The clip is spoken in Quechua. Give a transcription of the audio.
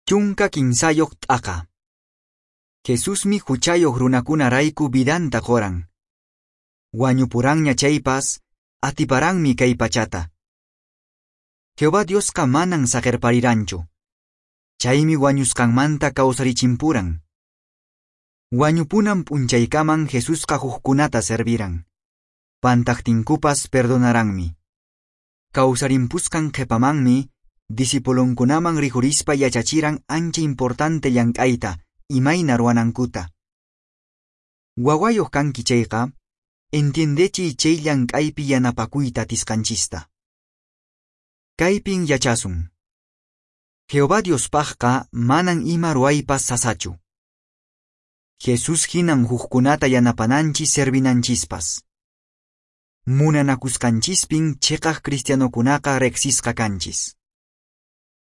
13 t'aqa. Jesusmi huchayoq runakunarayku vidanta qoran. Wañupuranña chaypas, atiparanmi kay pachata. Jehová Diosqa manan saqerpariranchu. Chaymi wañusqanmanta kawsarichimpuran. Wañupunan p'unchaykaman Jesusqa hukkunata serviran. Pantaqtinkupas perdonaranmi. Kawsarimpusqan qhepamanmi discipulonkunaman rikhurispa yachachiran ancha importante llank'ayta imayna ruwanankuta. Wawayuq kanki chayqa, entiendechiy chay llank'aypi yanapakuyta atisqanchista. Kaypin yachasun. Jehová Diospaqqa manan ima ruwaypas sasachu. Jesús hinan hukkunata yanapananchis servinanchispas. Munanakusqanchispin chiqaq cristianokunaqa riqsisqa kanchis.